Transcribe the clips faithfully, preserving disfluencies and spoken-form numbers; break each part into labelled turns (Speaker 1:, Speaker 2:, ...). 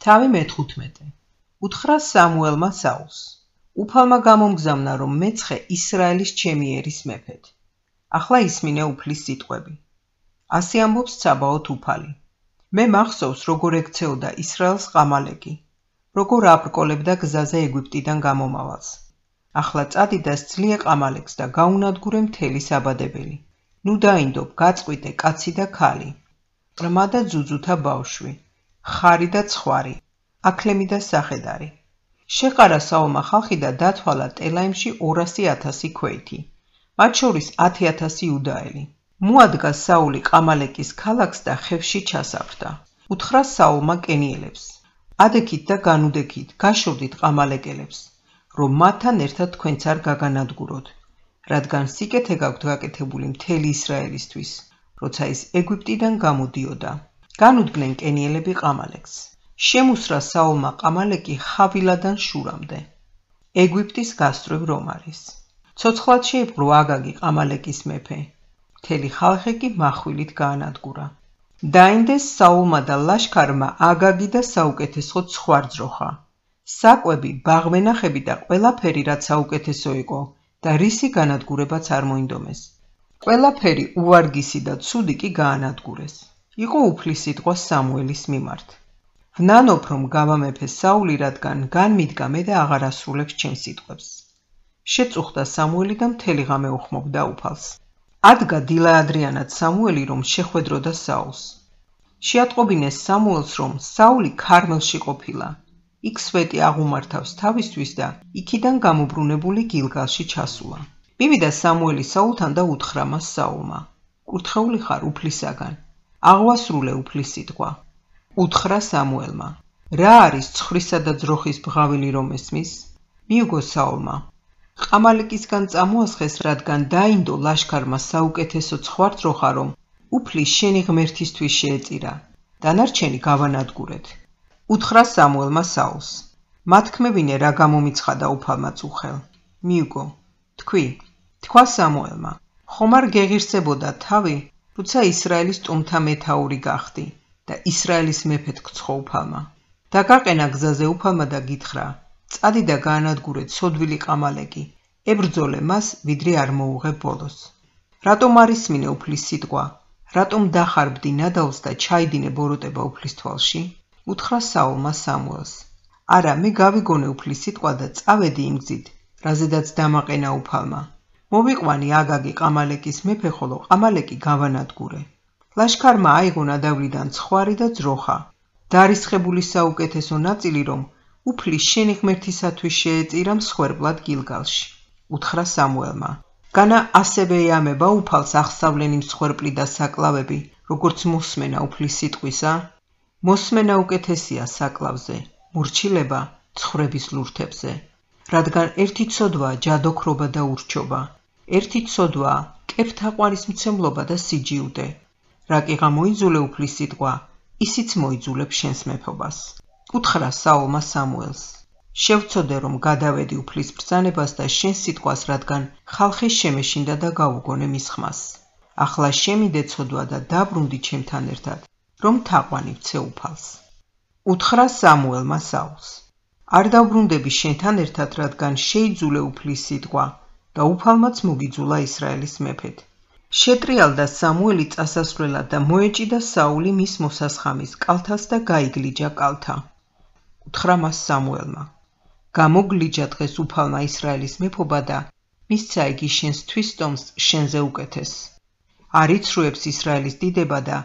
Speaker 1: თავი მეთხუთმეტე. უთხრა სამუელმა საულს. უფალმა გამომგზავნა, რომ მეცხე ისრაელის ჩემი ერის მეფედ. ახლა ისმინე უფლის სიტყვები. ასე ამბობს ცაბაოთ უფალი. მე მახსოვს, როგორ ექცეოდა ისრაელს ყამალეკი, როგორ აბრკოლებდა გზაზე ეგვიპტიდან გამომავალს. ახლა წადი და სძლიე ყამალეკს და გაუნადგურე მთელი საბადებელი. ნუ დაინდობ, გაწყვიტე კაცი და ქალი, ყრმა და ძუძუთა ბავშვი, ხარი და ცხვარი, აქლემი და სახედარი. შეყარა საულმა ხალხი და დათვალა ტელაიმში ორასი ათასი ქვეითი, მათ შორის ათი ათასი იუდაელი. მოადგა საული ყამალეკის ქალაქს და ხევში ჩასაფრდა. უთხრა საულმა კენიელებს. ადექით და განუდექით, გაშორდით ყამალეკელებს, რომ მათთან ერთად თქვენც არ გაგანადგუროთ, რადგან სიკეთე გაქვთ გაკეთებული მთელი ისრაელისთვის, როცა ის ეგვიპტიდან გამოდიოდა. განუდგნენ კენიელები ყამალეკს. შემუსრა საულმა ყამალეკი ხავილადან შურამდე. ეგვიპტის გასწვრივ რომ არის. ცოცხლად შეიპყრო აგაგი ყამალეკის მეფე. მთელი ხალხი კი מחვილით გაანადგურა. დაინდეს საულმა და ლაშქარმა აგაგი და საუკეთესო ცხვარძროხა. საკვები, ბაღმენახები და ყველაფერი, რაც საუკეთესო იყო და რისი განადგურებაც არ მოინდომეს. ყველაფერი უვარგისი და ცუდი კი გაანადგურეს. იყო უფლის სიტყვა სამუელის მიმართ. ვნანობ, რომ გავამეფე საული, რადგან განმიდგა მე და აღარ ასრულებს ჩემს სიტყვებს. შეწუხდა სამუელი და მთელი ღამე უხმობდა უფალს. ადგა დილა ადრიანად სამუელი, რომ შეხვედროდა საულს. შეატყობინეს სამუელს, რომ საული ქარმელში ყოფილა. იქ სვეტი აღუმართავს თავისთვის და იქიდან გამობრუნებული გილგალში ჩასულა. მივიდა სამუელი საულთან და უთხრა მას საულმა. კურთხეული ხარ უფლისაგან. აღვასრულე უფლის სიტყვა. უთხრა სამუელმა. რა არის ცხრისა და ძროხის ბღავილი რომ ესმის? მიუგო საულმა. ყამალეკისგან წამოასხეს, რადგან დაინდო ლაშქარმა საუკეთესო ცხვარძროხა, რომ უფლის შენი ღმერთისთვის შეეწირა. დანარჩენი გავანადგურეთ. უთხრა სამუელმა საულს. მათქმევინე რა გამომიცხადა უფალმა წუხელ. მიუგო. თქვი. თქვა სამუელმა. ხომ არ გეღირსებოდა თავი, როცა ისრაელის ტომთა მეთაური გახდი და ისრაელის მეფედ გცხო უფალმა. დაგაყენა გზაზე უფალმა და გითხრა, წადი და გაანადგურე ცოდვილი ყამალეკი, ებრძოლე მას, ვიდრე არ მოუღე ბოლოს. რატომ არ ისმინე უფლის სიტყვა? რატომ დახარბდი ნადავლს და ჩაიდინე ბოროტება უფლის თვალში? უთხრა საულმა სამუელს. არა, მე გავიგონე უფლის სიტყვა და წავედი იმ გზით, რაზედაც დამაყენა უფალმა. მოვიყვანი აგაგი ყამალეკის მეფე, ხოლო ყამალეკი გავანადგურე. ლაშქარმა აიღო ნადავლიდან ცხვარი და ძროხა. დარისხებული საუკეთესო ნაწილი, რომ უფლის შენი ღმერთისათვის შეეწირა მსხვერპლად გილგალში. უთხრა სამუელმა. განა ასევე ეამება უფალს ახსავლენი მსხვერპლი და საკლავები, როგორც მოსმენა უფლის სიტყვისა? მოსმენა უკეთესია საკლავზე, მორჩილება ცხვრების ლურთებზე. რადგან ერთი ცოდვაა ჯადოქრობა და ურჩობა, ერთი ცოდვაა კეფთაყვანისმცემლობა და სიჯიუდე. რა კი გამოიძულე უფლის სიტყვა, ისიც მოიძულებს შენს მეფობას. უთხრა საულმა სამუელს. შევცოდე, რომ გადავედი უფლის ბრძანებას და შენს სიტყვას, რადგან ხალხი შემეშინდა და გაუგონე მის ხმას. ახლა შემიდე ცოდვა და დაბრუნდი ჩემთან ერთად, რომ თაყვანი ვცე უფალს. უთხრა სამუელმა საულს. არ დავბრუნდები შენთან ერთად, რადგან შეიძულე უფლის სიტყვა და უფალმაც მოგიძულა ისრაელის მეფედ. შეტრიალდა სამუელი წასასვლელად და მოეჭიდა საული მის მოსასხამის კალთას და გაიგლიჯა კალთა. უთხრა მას სამუელმა. გამოგლიჯა დღეს უფალმა ისრაელის მეფობა და მისცა იგი შენს თვისტომს შენზე უკეთეს. არ იცრუებს ისრაელის დიდება და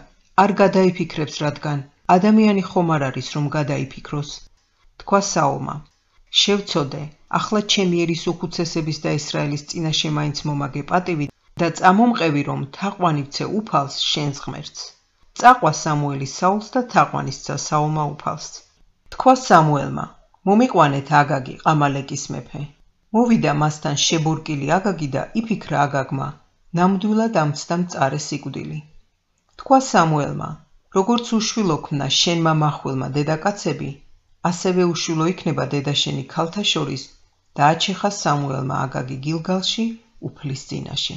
Speaker 1: არ გადაიფიქრებს, რადგან ადამიანი ხომ არ არის, რომ გადაიფიქროს. თქვა საულმა. შევცოდე, ახლა ჩემი ერის უხუცესების და ისრაელის წინაშე მაინც მომაგე პატივი და წამომყევი, რომ თაყვანი ვცე უფალს შენს ღმერთს. წაყვა სამუელი საულს და თაყვანისცა საულმა უფალს. თქვა სამუელმა. მომიყვანეთ აგაგი ყამალეკის მეფე. მოვიდა მასთან შებორკილი აგაგი და იფიქრა აგაგმა, ნამდვილად ამცდა მწარე სიკვდილი. თქვა სამუელმა. როგორც უშვილო ქმნა შენმა მახვილმა დედაკაცები, ასევე უშვილო იქნება დედაშენი ქალთა შორის და აჩეხა სამუელმა აგაგი გილგალში უფლის წინაშე.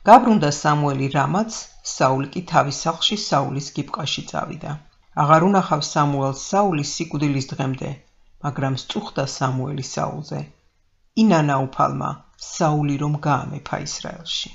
Speaker 1: გაბრუნდა სამუელი რამაც, საული კი თავის სახლში საულის გიბყაში წავიდა. აღარ უნახავს სამუელს საულის სიკვდილის დღემდე, მაგრამ სწუხდა სამუელი საულზე. ინანა უფალმა, საული რომ გაამეფა ისრაელში.